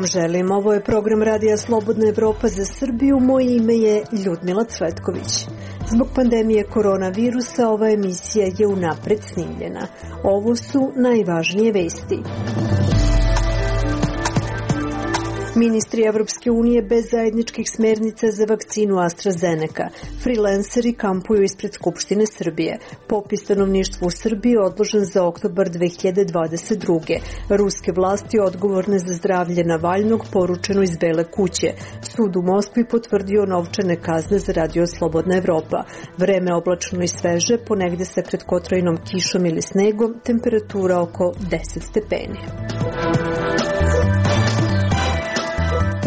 vam želim. Ovo je program Radija Slobodna Evropa za Srbiju. Moje ime je Ljudmila Cvetković. Zbog pandemije koronavirusa ova emisija je unapred snimljena. Ovo su najvažnije vesti. Ministri Evropske unije bez zajedničkih smernica za vakcinu AstraZeneca. Freelanceri kampuju ispred Skupštine Srbije. Popis stanovništva u Srbiji odložen za oktobar 2022. Ruske vlasti odgovorne za zdravlje Navalnog poručeno iz Bele kuće. Sud u Moskvi potvrdio novčane kazne za Radio Slobodna Evropa. Vreme oblačno i sveže, ponegde se pred kotrovnom kišom ili snegom, temperatura oko 10 stepeni.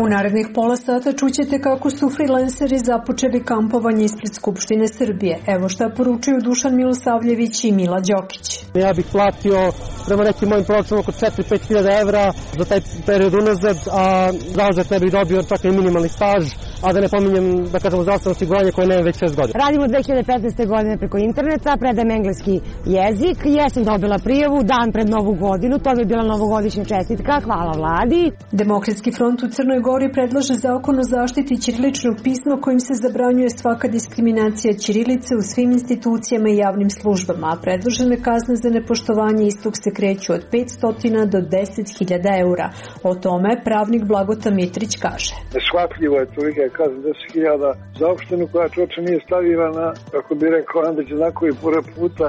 U narednih pola sata čućete kako su freelanceri započeli kampovanje ispred Skupštine Srbije. Evo šta poručuju Dušan Milosavljević i Mila Đokić. Ja bih platio prema nekim mojim proračunima oko 4-5 hiljada evra za taj period unazad, a zauzet ne bih dobio čak i minimalni staž, a da ne pominjem, da kažemo, zdravstveno osiguranje koje nemam već 6 godina. Radim od 2015. godine preko interneta, predajem engleski jezik, jesam dobila prijavu dan pred Novu godinu, to bi bila novogodišnja čestitka, hvala vladi. Demokratski front u Crnoj Gori predlaže zakon o zaštiti ćiriličnog pisma kojim se zabranjuje svaka diskriminacija ćirilice u svim institucijama i javnim službama, a predložene kazne za nepoštovanje istog se kreću od 500 do 10.000 eura. O tome pravnik Blagota Mitrić kaže. Neshvatljivo je tolika kazna 10.000 za opštinu koja čoče nije stavila na, kako bi rekao Andrić Znakovi pored puta,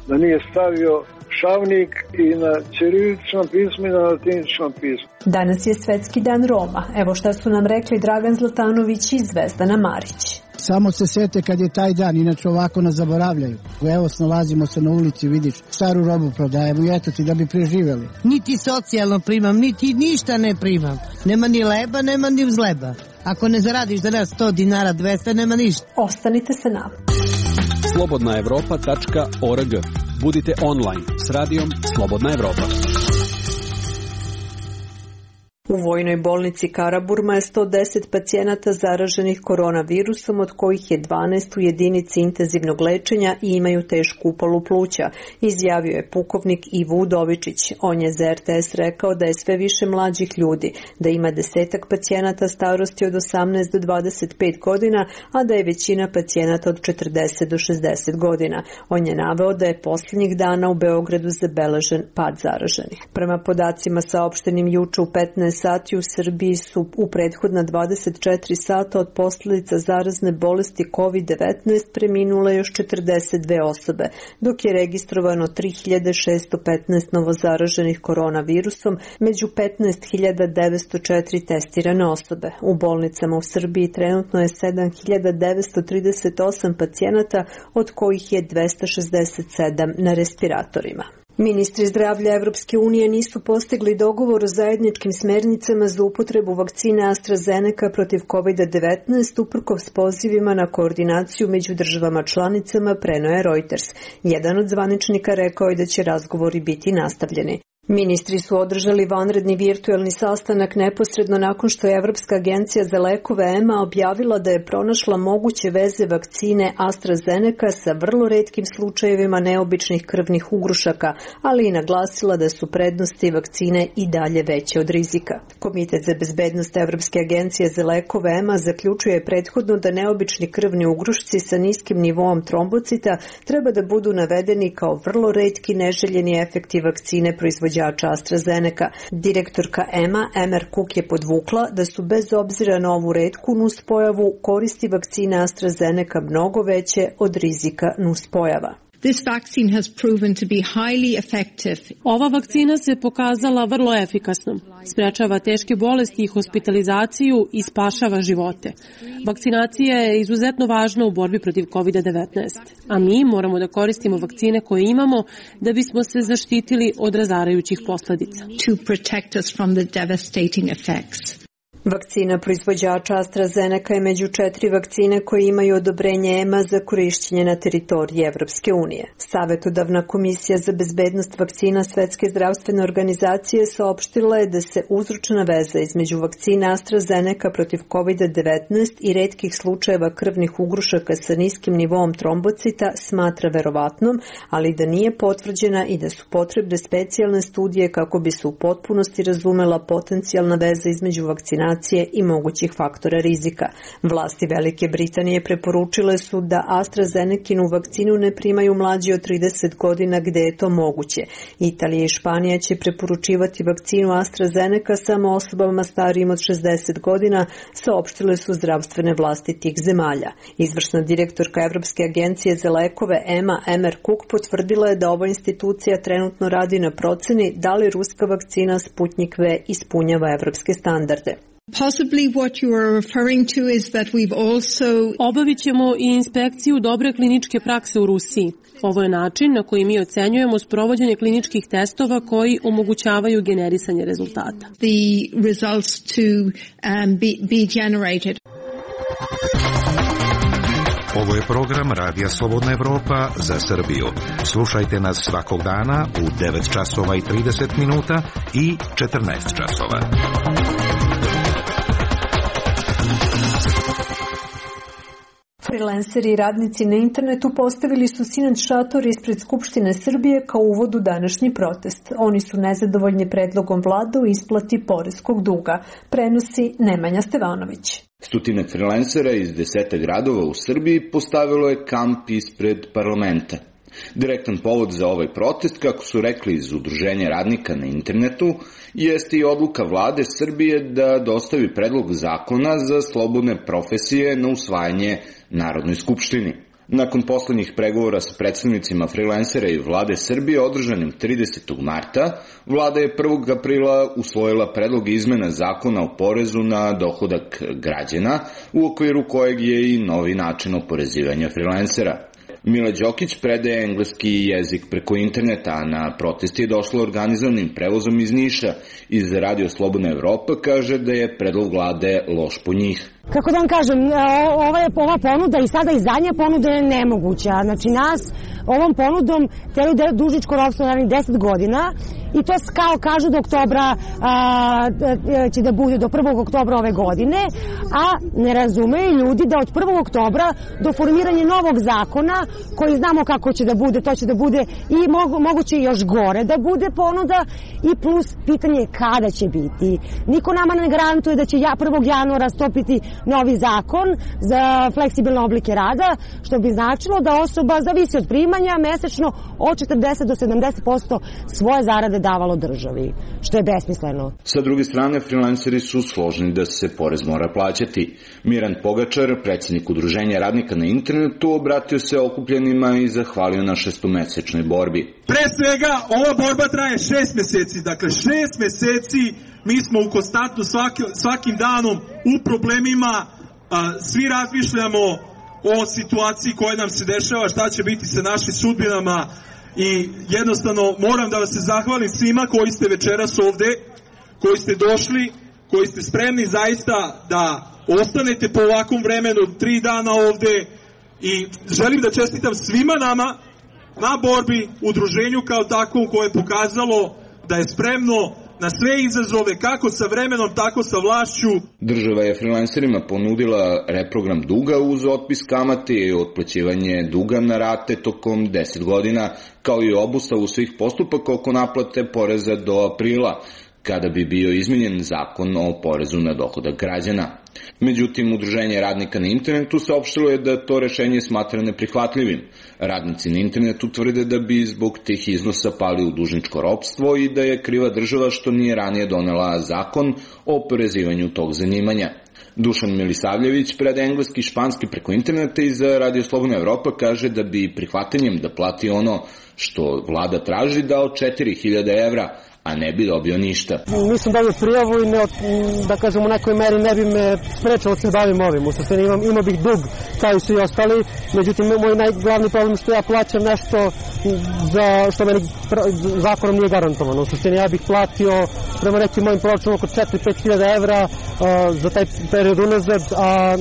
da nije stavio šavnik i na ćiriličnom pismu i na latiničnom pismu. Danas je Svetski dan Roma. Evo šta su nam rekli Dragan Zlatanović i Zvezdana Marić. Samo se sete kad je taj dan, inače ovako nas zaboravljaju. Evo snalazimo se na ulici, vidiš, staru robu prodajemo i eto ti da bi preživjeli. Niti socijalno primam, niti ništa ne primam. Nema ni leba, nema ni uzleba. Ako ne zaradiš danas 100 dinara, 200, nema ništa. Ostanite sa nama. slobodnaevropa.org. Budite online s radijom Slobodna Evropa. U vojnoj bolnici Karaburma je 110 pacijenata zaraženih koronavirusom, od kojih je 12 u jedinici intenzivnog lečenja i imaju tešku upalu pluća, izjavio je pukovnik Ivo Udovičić. On je za RTS rekao da je sve više mlađih ljudi, da ima 10 pacijenata starosti od 18 do 25 godina, a da je većina pacijenata od 40 do 60 godina. On je naveo da je posljednjih dana u Beogradu zabeležen pad zaraženih. Prema podacima saopštenim juče u 15 sati u Srbiji su u prethodna 24 sata od posljedica zarazne bolesti COVID-19 preminule još 42 osobe, dok je registrovano 3615 novozaraženih koronavirusom, među 15.904 testirane osobe. U bolnicama u Srbiji trenutno je 7938 pacijenata, od kojih je 267 na respiratorima. Ministri zdravlja Evropske unije nisu postigli dogovor o zajedničkim smernicama za upotrebu vakcine AstraZeneca protiv COVID-19 uprkos pozivima na koordinaciju među državama članicama, preneo je Reuters. Jedan od zvaničnika rekao je da će razgovori biti nastavljeni. Ministri su održali vanredni virtuelni sastanak neposredno nakon što je Evropska agencija za lekove EMA objavila da je pronašla moguće veze vakcine AstraZeneca sa vrlo retkim slučajevima neobičnih krvnih ugrušaka, ali i naglasila da su prednosti vakcine i dalje veće od rizika. Komitet za bezbednost Evropske agencije za lekove EMA zaključuje prethodno da neobični krvni ugrušci sa niskim nivoom trombocita treba da budu navedeni kao vrlo retki neželjeni efekti vakcine proizvođača AstraZeneca. Direktorka EMA, Emer Cook, je podvukla da su bez obzira na ovu retku nuspojavu koristi vakcine AstraZeneca mnogo veće od rizika nuspojava. This vaccine has proven to be highly effective. Ova vakcina se pokazala vrlo efikasnom. Sprečava teške bolesti i hospitalizaciju i spašava živote. Vakcinacija je izuzetno važna u borbi protiv COVID-19, a mi moramo da koristimo vakcine koje imamo da bismo se zaštitili od razarajućih posledica. To protect us from the devastating effects. Vakcina proizvođača AstraZeneca je među 4 vakcine koje imaju odobrenje EMA za korišćenje na teritoriji Evropske unije. Savetodavna komisija za bezbednost vakcina Svetske zdravstvene organizacije saopštila je da se uzročna veza između vakcina AstraZeneca protiv COVID-19 i retkih slučajeva krvnih ugrušaka sa niskim nivoom trombocita smatra verovatnom, ali da nije potvrđena i da su potrebne specijalne studije kako bi se u potpunosti razumela potencijalna veza između vakcinacije i mogućih faktora rizika. Vlasti Velike Britanije preporučile su da AstraZenecinu vakcinu ne primaju mlađi od 30 godina gde je to moguće. Italija i Španija će preporučivati vakcinu AstraZeneca samo osobama starijim od 60 godina, saopštile su zdravstvene vlasti tih zemalja. Izvršna direktorka Evropske agencije za lekove EMA Emer Cook potvrdila je da ova institucija trenutno radi na proceni da li ruska vakcina Sputnik V ispunjava evropske standarde. Possibly what you are referring to is that we've also... Obavit ćemo i inspekciju dobre kliničke prakse u Rusiji. Ovo je način na koji mi ocenjujemo sprovođenje kliničkih testova koji omogućavaju generisanje rezultata. The results to be generated. Ovo je program Radija Slobodna Evropa za Srbiju. Slušajte nas svakog dana u 9 časova i 30 minuta i 14 časova. Freelanceri i radnici na internetu postavili su sinoć šator ispred Skupštine Srbije kao uvod u današnji protest. Oni su nezadovoljni predlogom vlade u isplati poreskog duga, prenosi Nemanja Stevanović. Stotine freelancera iz 10 gradova u Srbiji postavilo je kamp ispred parlamenta. Direktan povod za ovaj protest, kako su rekli iz Udruženja radnika na internetu, jeste i odluka vlade Srbije da dostavi predlog zakona za slobodne profesije na usvajanje Narodnoj skupštini. Nakon poslednjih pregovora sa predstavnicima freelancera i vlade Srbije održanim 30. marta, vlada je 1. aprila usvojila predlog izmena zakona o porezu na dohodak građana, u okviru kojeg je i novi način oporezivanja freelancera. Mila Đokić predaje engleski jezik preko interneta, a na protest je došla organizovanim prevozom iz Niša. Iz Radio Slobodna Evropa kaže da je predlog vlade loš po njih. Kako da vam kažem, ova ponuda i sada i zadnja ponuda je nemoguća. Znači nas ovom ponudom teraju dužničko ropstvo narednih 10 godina i to kao kažu do oktobra će da bude do 1. oktobra ove godine, a ne razumeju ljudi da od 1. oktobra do formiranja novog zakona koji znamo kako će da bude, to će da bude i moguće još gore da bude ponuda i plus pitanje kada će biti. Niko nama ne garantuje da će 1. januara stopiti novi zakon za fleksibilne oblike rada, što bi značilo da osoba zavisi od primanja mesečno od 40 do 70% svoje zarade davalo državi, što je besmisleno. Sa druge strane, freelanceri su složni da se porez mora plaćati. Miran Pogačar, predsjednik Udruženja radnika na internetu, obratio se okupljenima i zahvalio na 6-mesečnoj borbi. Pre svega, ova borba traje 6 meseci, dakle 6 meseci mi smo u konstantno svakim danom u problemima, svi razmišljamo o situaciji koja nam se dešava, šta će biti sa našim sudbinama i jednostavno moram da vas se zahvalim svima koji ste večeras ovde, koji ste došli, koji ste spremni zaista da ostanete po ovakvom vremenu 3 dana ovde i želim da čestitam svima nama na borbi, udruženju kao takvom koje je pokazalo da je spremno na sve izazove, kako sa vremenom, tako sa vlašću. Država je freelancerima ponudila reprogram duga uz otpis kamate i otplaćivanje duga na rate tokom 10 godina, kao i obustavu svih postupaka oko naplate poreza do aprila, kada bi bio izmenjen zakon o porezu na dohodak građana. Međutim, Udruženje radnika na internetu saopštilo je da to rešenje smatra neprihvatljivim. Radnici na internetu tvrde da bi zbog tih iznosa pali u dužničko ropstvo i da je kriva država što nije ranije donela zakon o oporezivanju tog zanimanja. Dušan Milisavljević, predaje engleski i španski preko interneta i za Radio Slobodna Evropa kaže da bi prihvatanjem da plati ono što vlada traži dao 4.000 evra, a ne bi dobio ništa. Nisam dobio prijavu i da kažem u nekoj meri ne bi me sprečalo da se bavim ovim. U suštini imao bih dug kao i svi ostali, međutim moj najglavni problem što ja plaćam nešto za što meni zakonom nije garantovano. U suštini ja bih platio prema nekim mojim proračunima oko 4-5 hiljada evra za taj period unazad, a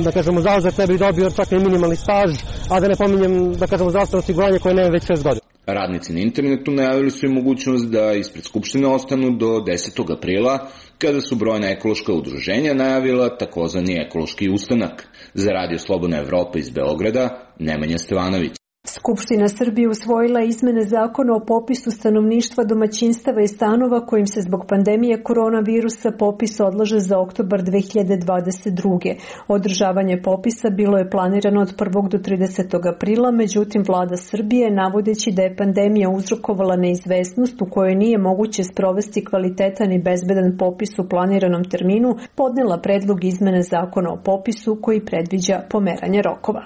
da kažemo zauzet ne bih dobio čak i minimalni staž, a da ne pominjem da kažemo zdravstveno osiguranje koje nema već 6 godina. Radnici na internetu najavili su i mogućnost da ispred Skupštine ostanu do 10. aprila, kada su brojna ekološka udruženja najavila takozvani ekološki ustanak. Za Radio Slobodna Evropa iz Beograda, Nemanja Stevanović. Skupština Srbije usvojila izmene zakona o popisu stanovništva, domaćinstava i stanova kojim se zbog pandemije koronavirusa popis odlaže za oktobar 2022. Održavanje popisa bilo je planirano od 1. do 30. aprila, međutim vlada Srbije, navodeći da je pandemija uzrokovala neizvesnost u kojoj nije moguće sprovesti kvalitetan i bezbedan popis u planiranom terminu, podnela predlog izmene zakona o popisu koji predviđa pomeranje rokova.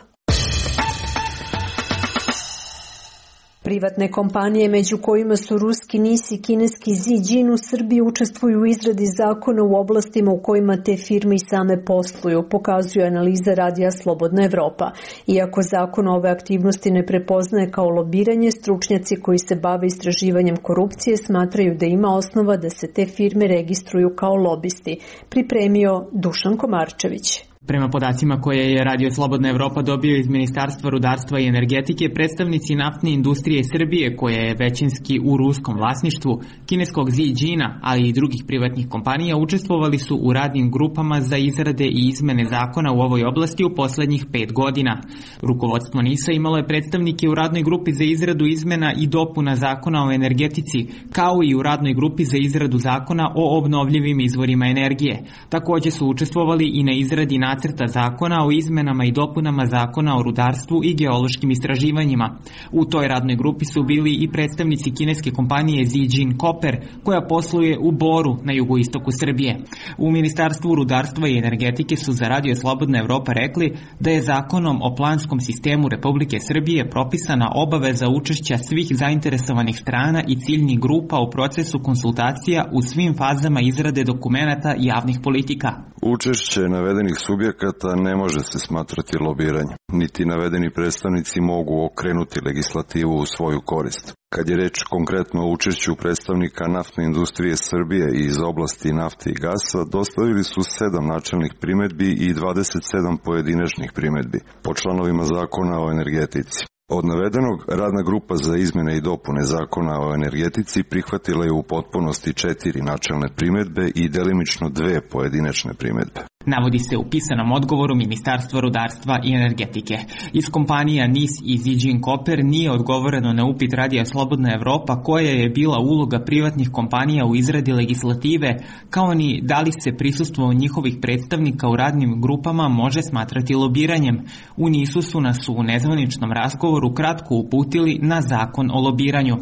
Privatne kompanije, među kojima su ruski NIS i kineski Zijin, u Srbiji učestvuju u izradi zakona u oblastima u kojima te firme i same posluju, pokazuje analiza Radija Slobodna Evropa. Iako zakon ove aktivnosti ne prepoznaje kao lobiranje, stručnjaci koji se bave istraživanjem korupcije smatraju da ima osnova da se te firme registruju kao lobisti. Pripremio Dušan Komarčević. Prema podacima koje je Radio Slobodna Evropa dobio iz Ministarstva rudarstva i energetike, predstavnici naftne industrije Srbije, koja je većinski u ruskom vlasništvu, kineskog Zijina, ali i drugih privatnih kompanija, učestvovali su u radnim grupama za izrade i izmene zakona u ovoj oblasti u poslednjih 5 godina. Rukovodstvo NIS-a imalo je predstavnike u radnoj grupi za izradu izmena i dopuna zakona o energetici, kao i u radnoj grupi za izradu zakona o obnovljivim izvorima energije. Takođe su učestvovali i na izradi nacrta zakona o izmenama i dopunama zakona o rudarstvu i geološkim istraživanjima. U toj radnoj grupi su bili i predstavnici kineske kompanije Zijin Copper, koja posluje u Boru na jugoistoku Srbije. U Ministarstvu rudarstva i energetike su za Radio Slobodna Evropa rekli da je zakonom o planskom sistemu Republike Srbije propisana obaveza učešća svih zainteresovanih strana i ciljnih grupa u procesu konsultacija u svim fazama izrade dokumenata javnih politika. Učešće navedenih subjekata ne može se smatrati lobiranjem, niti navedeni predstavnici mogu okrenuti legislativu u svoju korist. Kad je reč konkretno o učešću predstavnika naftne industrije Srbije iz oblasti nafte i gasa, dostavili su 7 načelnih primedbi i 27 pojedinačnih primedbi po članovima zakona o energetici. Od navedenog, radna grupa za izmene i dopune zakona o energetici prihvatila je u potpunosti 4 načelne primedbe i delimično 2 pojedinačne primedbe. Navodi se u pisanom odgovoru Ministarstva rudarstva i energetike. Iz kompanija NIS i Zijin Copper nije odgovoreno na upit Radija Slobodna Evropa koja je bila uloga privatnih kompanija u izradi legislative, kao ni da li se prisustvo njihovih predstavnika u radnim grupama može smatrati lobiranjem. U NIS-u su nas u nezvaničnom razgovoru kratko uputili na zakon o lobiranju.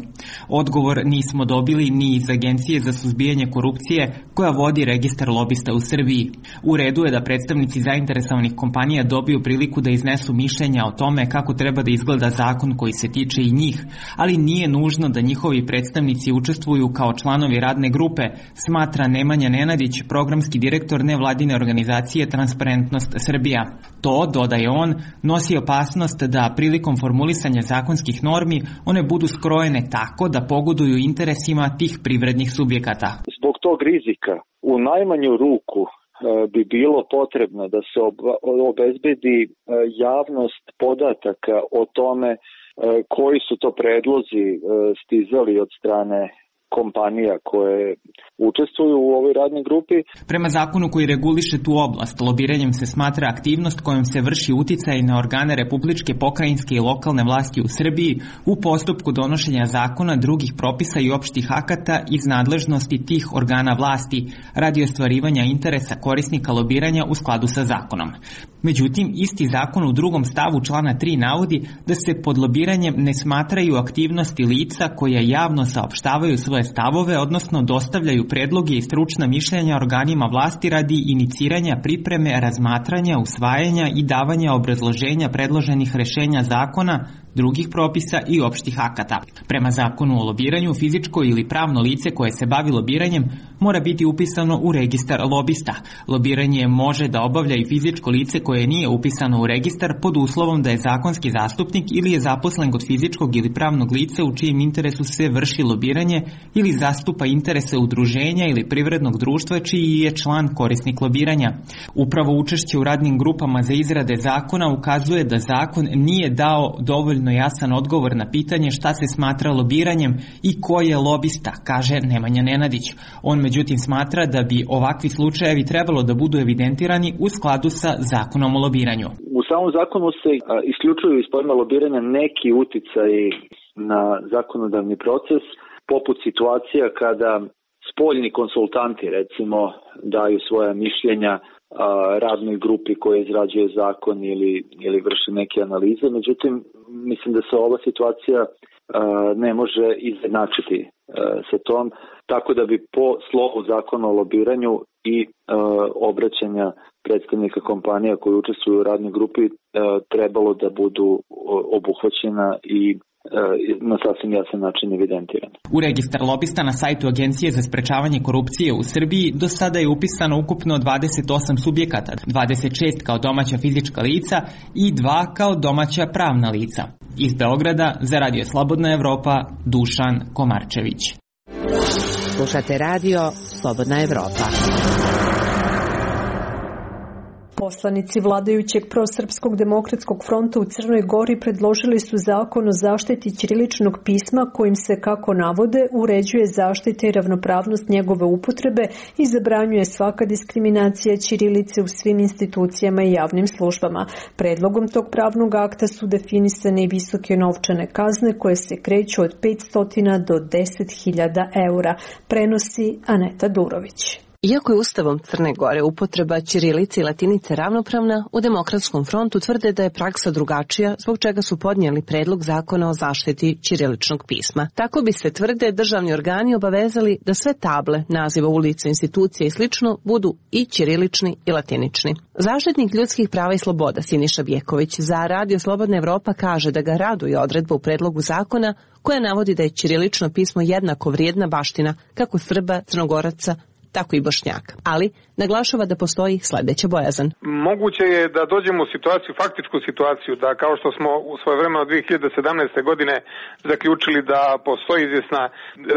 Odgovor nismo dobili ni iz Agencije za suzbijanje korupcije koja vodi registar lobista u Srbiji. U redu je da predstavnici zainteresovanih kompanija dobiju priliku da iznesu mišljenja o tome kako treba da izgleda zakon koji se tiče i njih, ali nije nužno da njihovi predstavnici učestvuju kao članovi radne grupe, smatra Nemanja Nenadić, programski direktor nevladine organizacije Transparentnost Srbija. To, dodaje on, nosi opasnost da prilikom formulisanja zakonskih normi one budu skrojene tako da pogoduju interesima tih privrednih subjekata. Zbog tog rizika u najmanju ruku bi bilo potrebno da se obezbedi javnost podataka o tome koji su to predlozi stizali od strane kompanija koje učestvuju u ovoj radnoj grupi. Prema zakonu koji reguliše tu oblast, lobiranjem se smatra aktivnost kojom se vrši uticaj na organe republičke, pokrajinske i lokalne vlasti u Srbiji u postupku donošenja zakona, drugih propisa i opštih akata iz nadležnosti tih organa vlasti radi ostvarivanja interesa korisnika lobiranja u skladu sa zakonom. Međutim, isti zakon u drugom stavu člana 3 navodi da se pod lobiranjem ne smatraju aktivnosti lica koja javno saopštavaju svoje stavove, odnosno dostavljaju predloge i stručna mišljenja organima vlasti radi iniciranja, pripreme, razmatranja, usvajanja i davanja obrazloženja predloženih rešenja zakona, drugih propisa i opštih akata. Prema zakonu o lobiranju, fizičko ili pravno lice koje se bavi lobiranjem mora biti upisano u registar lobista. Lobiranje može da obavlja i fizičko lice koje nije upisano u registar pod uslovom da je zakonski zastupnik ili je zaposlen kod fizičkog ili pravnog lica u čijem interesu se vrši lobiranje ili zastupa interese udruženja ili privrednog društva čiji je član korisnik lobiranja. Upravo učešće u radnim grupama za izrade zakona ukazuje da zakon nije dao dovoljno jasan odgovor na pitanje šta se smatra lobiranjem i ko je lobista, kaže Nemanja Nenadić. On međutim smatra da bi ovakvi slučajevi trebalo da budu evidentirani u skladu sa zakonom o lobiranju. U samom zakonu se isključuju iz pojma lobiranja neki uticaji na zakonodavni proces, poput situacija kada spoljni konsultanti recimo daju svoja mišljenja radnoj grupi koja izrađuje zakon ili vrši neke analize. Međutim, mislim da se ova situacija ne može izjednačiti sa tom, tako da bi po slovu zakona o lobiranju i obraćanja predstavnika kompanija koji učestvuju u radnoj grupi trebalo da budu obuhvaćena i na sasvim jasan način evidentirano. U registar lobista na sajtu Agencije za sprečavanje korupcije u Srbiji do sada je upisano ukupno 28 subjekata, 26 kao domaća fizička lica i 2 kao domaća pravna lica. Iz Beograda za Radio Slobodna Evropa, Dušan Komarčević. Slušate Radio Slobodna Evropa. Poslanici vladajućeg prosrpskog demokratskog fronta u Crnoj Gori predložili su zakon o zaštiti ćiriličnog pisma kojim se, kako navode, uređuje zaštita i ravnopravnost njegove upotrebe i zabranjuje svaka diskriminacija ćirilice u svim institucijama i javnim službama. Predlogom tog pravnog akta su definisane i visoke novčane kazne koje se kreću od 500 do 10.000 eura, prenosi Aneta Durović. Iako je Ustavom Crne Gore upotreba ćirilice i latinice ravnopravna, u Demokratskom frontu tvrde da je praksa drugačija, zbog čega su podnijeli predlog zakona o zaštiti ćiriličnog pisma. Tako bi se, tvrde, državni organi obavezali da sve table, naziva ulica, institucija i slično budu i ćirilični i latinični. Zaštitnik ljudskih prava i sloboda Siniša Bjeković za Radio Slobodna Evropa kaže da ga raduje odredba u predlogu zakona koja navodi da je ćirilično pismo jednako vrijedna baština kako Srba, Crnogoraca, tako i Bošnjaka, ali naglašava da postoji sledeća bojazan. Moguće je da dođemo u situaciju, faktičku situaciju, da kao što smo u svoje vreme od 2017. godine zaključili da postoji izvjesna,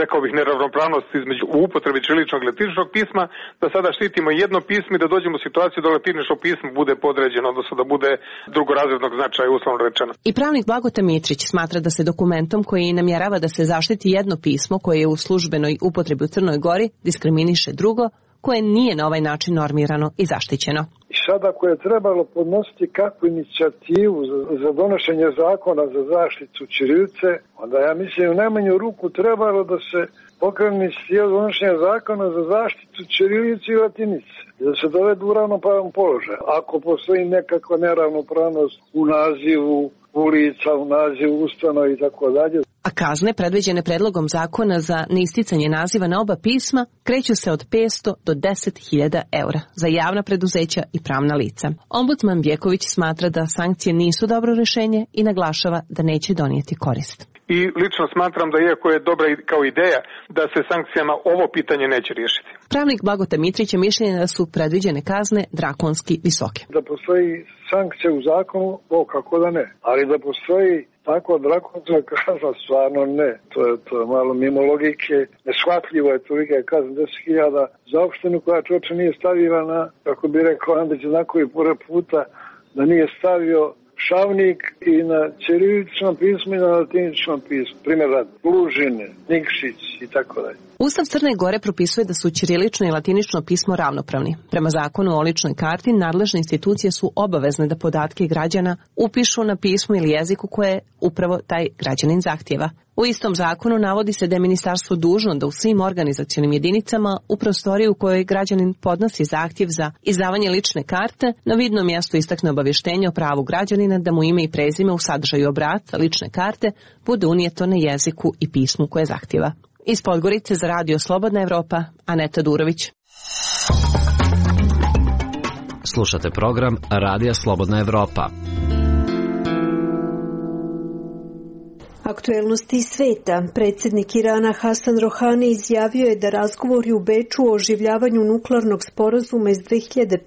rekao bih, neravnopravnost između upotrebi ćiriličnog i latiničnog pisma, da sada štitimo jedno pismo i da dođemo u situaciju da latinično pismo bude podređeno, odnosno da bude drugorazrednog značaja, uslovno rečeno. I pravnik Blagota Mitrić smatra da se dokumentom koji namjerava da se zaštiti jedno pismo koje je u službenoj upotrebi u Crnoj Gori diskriminiše drugo koje nije na ovaj način normirano i zaštićeno. I sada ako je trebalo podnositi kakvu inicijativu za donošenje zakona za zaštitu ćirilice, onda ja mislim u najmanju ruku trebalo da se pokrene inicijativa donošenja zakona za zaštitu ćirilice i latinice. Da se dovedu u ravnopravan položaj. Ako postoji nekakva neravnopravnost u nazivu ulica, u nazivu ustanova i tako dalje. A kazne predviđene predlogom zakona za neisticanje naziva na oba pisma kreću se od 500 do 10.000 eura za javna preduzeća i pravna lica. Ombudsman Bjeković smatra da sankcije nisu dobro rešenje i naglašava da neće donijeti korist. I lično smatram da iako je dobra kao ideja da se sankcijama ovo pitanje neće riješiti. Pravnik Blagota Mitrić je mišljenja da su predviđene kazne drakonski visoke. Da postoji sankcija u zakonu, kako da ne. Ali da postoji tako drakonska kazna, stvarno ne. To je malo mimo logike. Neshvatljivo je tolika kazna 10.000 za opštinu koja čoče nije stavila na, kako bi rekao Andrić, znakovi pored puta, da nije stavio šavnik i na ćiriličnom pismu i na latiničnom pismu. Primjer radi, Lužine, Nikšić i tako dalje. Ustav Crne Gore propisuje da su ćirilično i latinično pismo ravnopravni. Prema zakonu o ličnoj karti, nadležne institucije su obavezne da podatke građana upišu na pismu ili jeziku koje upravo taj građanin zahtjeva. U istom zakonu navodi se da je ministarstvo dužno da u svim organizacionim jedinicama u prostoriji u kojoj građanin podnosi zahtjev za izdavanje lične karte na vidnom mjestu istakne obavještenje o pravu građanina da mu ime i prezime u sadržaju obrasca lične karte bude unijeto na jeziku i pismu koje zahtjeva. Iz Podgorice za Radio Slobodna Evropa, Aneta Durović. Slušate program Radija Slobodna Evropa. Aktuelnosti iz sveta. Predsjednik Irana Hasan Rohani izjavio je da razgovori u Beču o oživljavanju nuklearnog sporazuma iz 2015.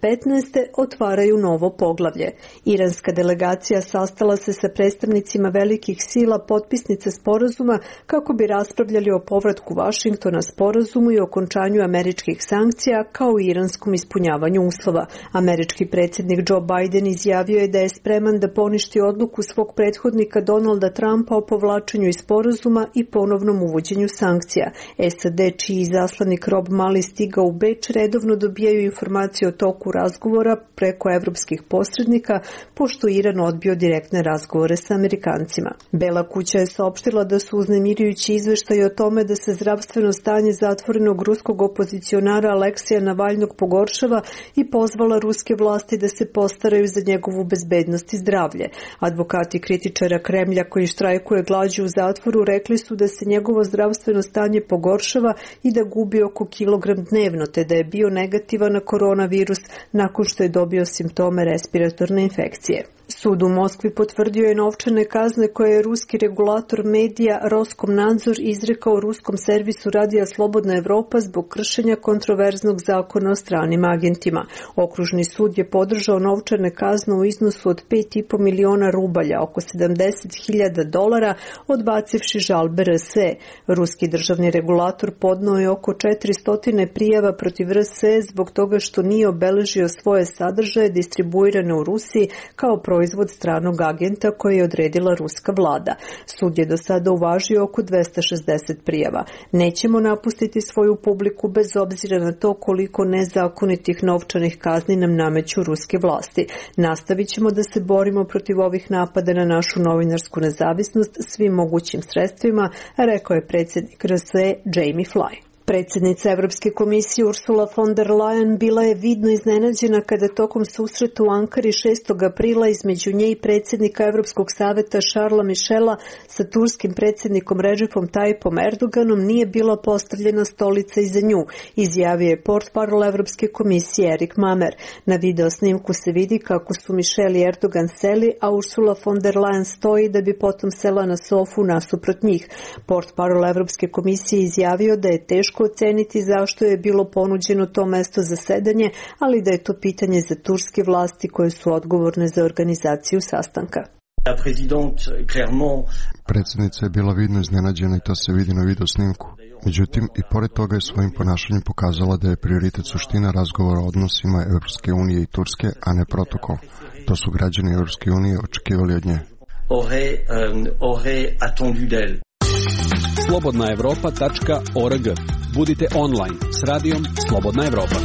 otvaraju novo poglavlje. Iranska delegacija sastala se sa predstavnicima velikih sila potpisnica sporazuma kako bi raspravljali o povratku Vašingtona sporazumu i okončanju američkih sankcija kao i iranskom ispunjavanju uslova. Američki predsjednik Joe Biden izjavio je da je spreman da poništi odluku svog prethodnika Donalda Trumpa o povlačenju iz sporazuma i ponovnom uvođenju sankcija. SAD, čiji izaslanik Rob Mali stigao u Beč, redovno dobijaju informacije o toku razgovora preko evropskih posrednika, pošto Iran odbio direktne razgovore sa Amerikancima. Bela kuća je saopštila da su uznemirujući izveštaji o tome da se zdravstveno stanje zatvorenog ruskog opozicionara Aleksija Navalnog pogoršava i pozvala ruske vlasti da se postaraju za njegovu bezbednost i zdravlje. Advokati kritičara Kremlja koji štrajkuje glađu u zatvoru rekli su da se njegovo zdravstveno stanje pogoršava i da gubi oko kilogram dnevno, te da je bio negativan na koronavirus nakon što je dobio simptome respiratorne infekcije. Sud u Moskvi potvrdio je novčane kazne koje je ruski regulator medija Roskomnadzor izrekao ruskom servisu Radija Slobodna Evropa zbog kršenja kontroverznog zakona o stranim agentima. Okružni sud je podržao novčane kazne u iznosu od 5,5 miliona rubalja, oko $70.000, odbacivši žalbe RSE. Ruski državni regulator podneo je oko 400 prijava protiv RSE zbog toga što nije obeležio svoje sadržaje distribuirane u Rusiji kao proizvod stranog agenta koje je odredila ruska vlada. Sud je do sada uvažio oko 260 prijava. Nećemo napustiti svoju publiku bez obzira na to koliko nezakonitih novčanih kazni nam nameću ruske vlasti. Nastavit ćemo da se borimo protiv ovih napada na našu novinarsku nezavisnost svim mogućim sredstvima, rekao je predsjednik RSE Jamie Fly. Predsjednica Evropske komisije Ursula von der Leyen bila je vidno iznenađena kada tokom susreta u Ankari 6. aprila između nje i predsjednika Evropskog saveta Charlesa Michela sa turskim predsjednikom Recepom Tayyipom Erdoganom nije bila postavljena stolica iza nju, izjavio je portparol Evropske komisije Erik Mamer. Na video snimku se vidi kako su Michel i Erdogan seli, a Ursula von der Leyen stoji da bi potom sela na sofu nasuprot njih. Portparol Evropske komisije izjavio da je teško oceniti zašto je bilo ponuđeno to mesto za sedanje, ali da je to pitanje za turske vlasti koje su odgovorne za organizaciju sastanka. Predsjednica je bila vidno iznenađena i to se vidi na video snimku. Međutim, i pored toga je svojim ponašanjem pokazala da je prioritet suština razgovora o odnosima Evropske unije i Turske, a ne protokol. To su građani Evropske unije očekivali od nje. slobodnaevropa.org. Budite online s radijom Slobodna Evropa.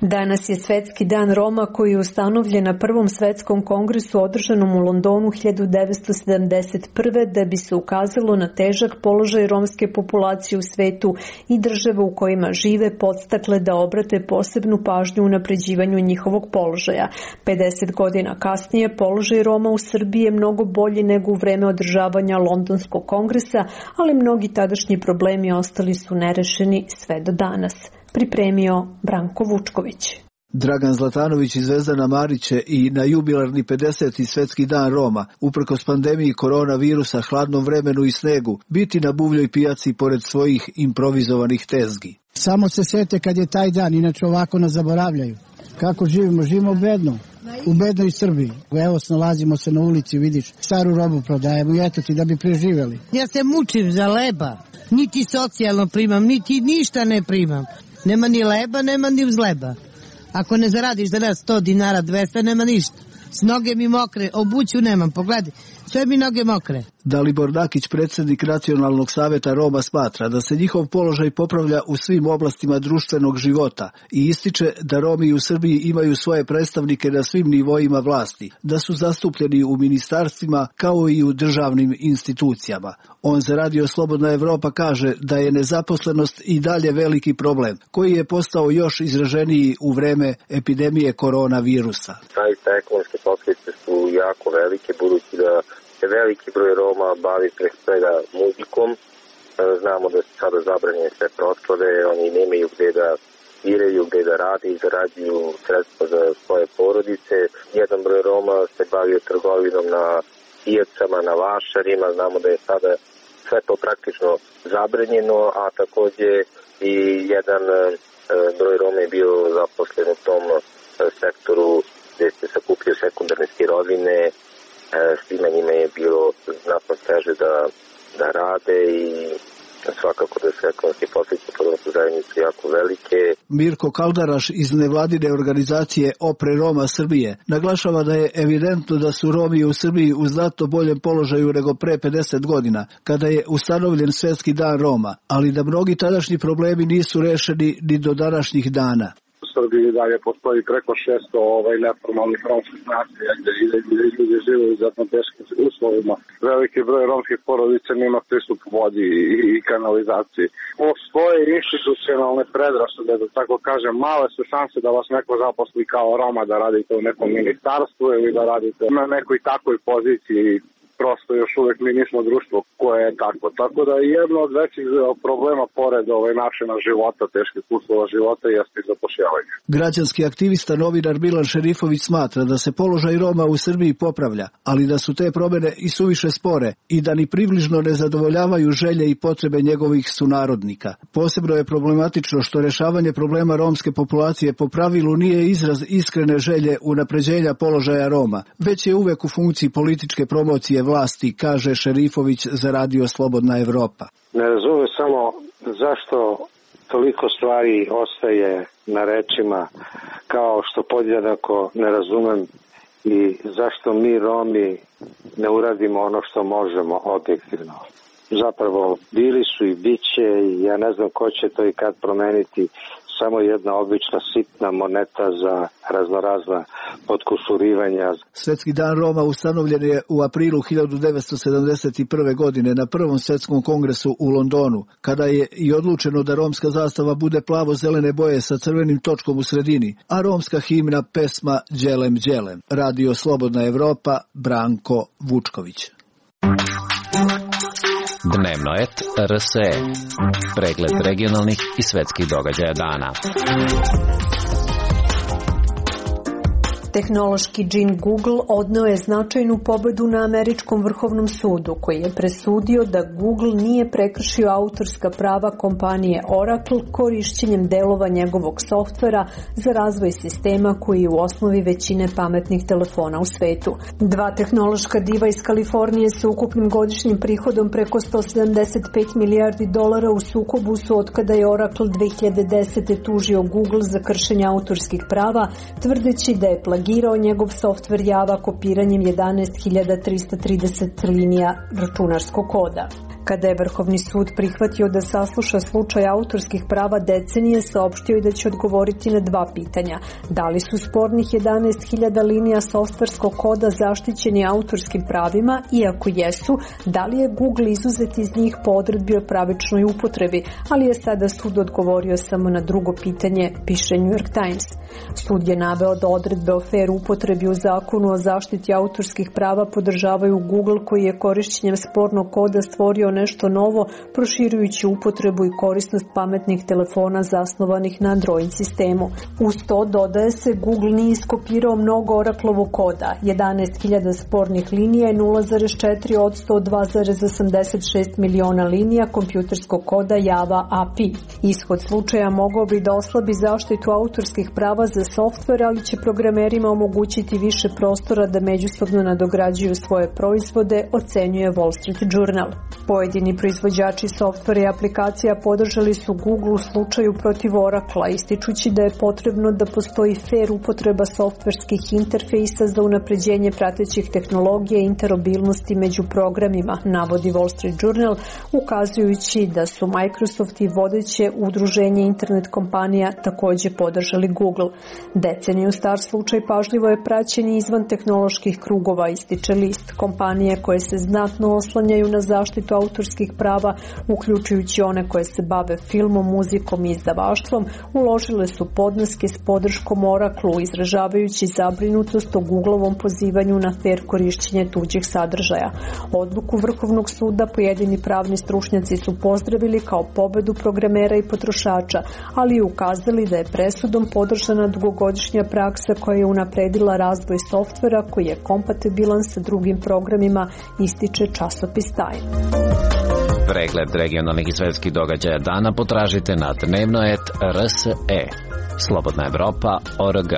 Danas je Svetski dan Roma koji je ustanovljen na Prvom svetskom kongresu održanom u Londonu 1971. da bi se ukazalo na težak položaj romske populacije u svetu i države u kojima žive podstakle da obrate posebnu pažnju u unapređivanju njihovog položaja. 50 godina kasnije položaj Roma u Srbiji je mnogo bolji nego u vreme održavanja Londonskog kongresa, ali mnogi tadašnji problemi ostali su nerešeni sve do danas. Pripremio Branko Vučković. Dragan Zlatanović i Zvezdana Marić će i na jubilarni 50. Svetski dan Roma, uprkos pandemiji koronavirusa, hladnom vremenu i snegu, biti na buvljoj pijaci pored svojih improvizovanih tezgi. Samo se sjete kad je taj dan, inače ovako nas zaboravljaju. Kako živimo? Živimo bedno. U bednoj Srbiji. Evo, nalazimo se na ulici, vidiš, staru robu prodajemo i eto ti da bi preživjeli. Ja se mučim za leba. Niti socijalno primam, niti ništa ne primam. Nema ni leba, nema ni uz leba. Ako ne zaradiš danas 100 dinara, 200, nema ništa. S noge mi mokre, obuću nemam, pogledaj. sve mi noge mokre. Dalibor Dakić, predsjednik Nacionalnog saveta Roma, smatra da se njihov položaj popravlja u svim oblastima društvenog života i ističe da Romi u Srbiji imaju svoje predstavnike na svim nivoima vlasti, da su zastupljeni u ministarstvima kao i u državnim institucijama. On za Radio Slobodna Evropa kaže da je nezaposlenost i dalje veliki problem, koji je postao još izraženiji u vreme epidemije koronavirusa. Zaista ekonomske posljedice su jako velike, budući da se veliki broj Roma bavi pre svega muzikom. Znamo da su sada zabranjene sve proslave, oni nemaju gde da sviraju, gde da rade i zarađuju sredstva za svoje porodice. Jedan broj Roma se bavio trgovinom na pijacama, na vašarima, znamo da je sada sve to praktično zabranjeno, a takođe i jedan broj Roma je bio zaposlen u tom sektoru gde se sakupljaju sekundarne sirovine, svima njima je bilo znatno teže da rade i svakako da su ekonomske posljedice po romsku zajednicu jako velike. Mirko Kaldaraš iz nevladine organizacije Opre Roma Srbije naglašava da je evidentno da su Romi u Srbiji u znatno boljem položaju nego pre 50 godina, kada je ustanovljen Svetski dan Roma, ali da mnogi tadašnji problemi nisu rešeni ni do današnjih dana. U Srbiji dalje postoji preko 600 neformalnih romskih naselja gde ljudi žive u izuzetno teškim uslovima. Veliki broj romskih porodica nema pristup vodi i kanalizaciji. Postoje institucionalne predrasude, da tako kažem, male su šanse da vas neko zaposli kao Roma, da radite u nekom ministarstvu ili da radite na nekoj takvoj poziciji. Prosto još uvek mi nismo društvo koje je tako. Tako da jedno od većih problema pored načina života, teških uslova života jeste i zapošljavanje. Građanski aktivista novinar Milan Šerifović smatra da se položaj Roma u Srbiji popravlja, ali da su te promene i suviše spore i da ni približno ne zadovoljavaju želje i potrebe njegovih sunarodnika. Posebno je problematično što rešavanje problema romske populacije po pravilu nije izraz iskrene želje unapređenja položaja Roma, već je uvek u funkciji političke promocije vlasti, kaže Šerifović za Radio Slobodna Evropa. Ne razumem samo zašto toliko stvari ostaje na rečima, kao što podjednako ne razumem i zašto mi Romi ne uradimo ono što možemo objektivno. Zapravo bili su i bit će i ja ne znam ko će to i kad promeniti, samo jedna obična sitna moneta za raznorazna podkusurivanja. Svetski dan Roma ustanovljen je u aprilu 1971. godine na Prvom svetskom kongresu u Londonu, kada je i odlučeno da romska zastava bude plavo-zelene boje sa crvenim točkom u sredini, a romska himna pesma Đelem Đelem. Radio Slobodna Evropa, Branko Vučković. Dnevno et RSE. Pregled regionalnih i svetskih događaja dana. Tehnološki džin Google odneo je značajnu pobedu na Američkom vrhovnom sudu, koji je presudio da Google nije prekršio autorska prava kompanije Oracle korišćenjem delova njegovog softvera za razvoj sistema koji je u osnovi većine pametnih telefona u svetu. Dva tehnološka diva iz Kalifornije sa ukupnim godišnjim prihodom preko $175 milijardi u sukobu su otkada je Oracle 2010. tužio Google za kršenje autorskih prava, tvrdeći da je plagirao njegov softver Java kopiranjem 11.330 linija računarskog koda. Kada je Vrhovni sud prihvatio da sasluša slučaj autorskih prava decenije, saopštio je da će odgovoriti na dva pitanja. Da li su spornih 11.000 linija softverskog koda zaštićeni autorskim pravima i ako jesu, da li je Google izuzet iz njih po odredbi o pravičnoj upotrebi, ali je sada sud odgovorio samo na drugo pitanje, piše New York Times. Sud je naveo da odredbe o fair upotrebi u zakonu o zaštiti autorskih prava podržavaju Google, koji je korišćenjem spornog koda stvorio nešto novo, proširujući upotrebu i korisnost pametnih telefona zasnovanih na Android sistemu. Uz to dodaje se, Google nije iskopirao mnogo Oraclovog koda. 11.000 spornih linija je 0,4% od 2,86 miliona linija kompjuterskog koda Java API. Ishod slučaja mogao bi da oslabi zaštitu autorskih prava za softver, ali će programerima omogućiti više prostora da međusobno nadograđuju svoje proizvode, ocenjuje Wall Street Journal. Pojedini proizvođači softvera i aplikacija podržali su Google u slučaju protiv Oracle, ističući da je potrebno da postoji fair upotreba softverskih interfejsa za unapređenje pratećih tehnologija i interoperabilnosti među programima, navodi Wall Street Journal, ukazujući da su Microsoft i vodeće udruženje internet kompanija takođe podržali Google. Deceniju star slučaj pažljivo je praćen i izvan tehnoloških krugova, ističe list. Kompanije koje se znatno oslanjaju na zaštitu autorskih prava, uključujući one koje se bave filmom, muzikom i izdavaštvom, uložile su podneske s podrškom Oracle-u, izražavajući zabrinutost o Googleovom pozivanju na fair korišćenje tuđih sadržaja. Odluku Vrhovnog suda pojedini pravni stručnjaci su pozdravili kao pobedu programera i potrošača, ali i ukazali da je presudom podržana dugogodišnja praksa koja je unapredila razvoj softvera koji je kompatibilan sa drugim programima, ističe časopis Time. Pregled regionalnih i svetskih događaja dana potražite na dnevnoet.rse. Slobodna Evropa.org.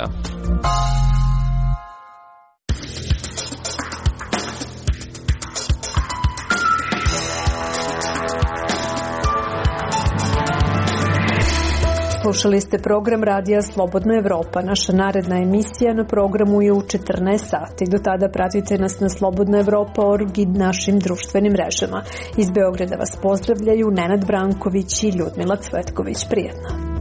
Slušali ste program radija Slobodna Evropa. Naša naredna emisija na programu je u 14 sati. Do tada pratite nas na slobodnaevropa.org i našim društvenim mrežama. Iz Beograda vas pozdravljaju Nenad Branković i Ljudmila Cvetković. Prijetno.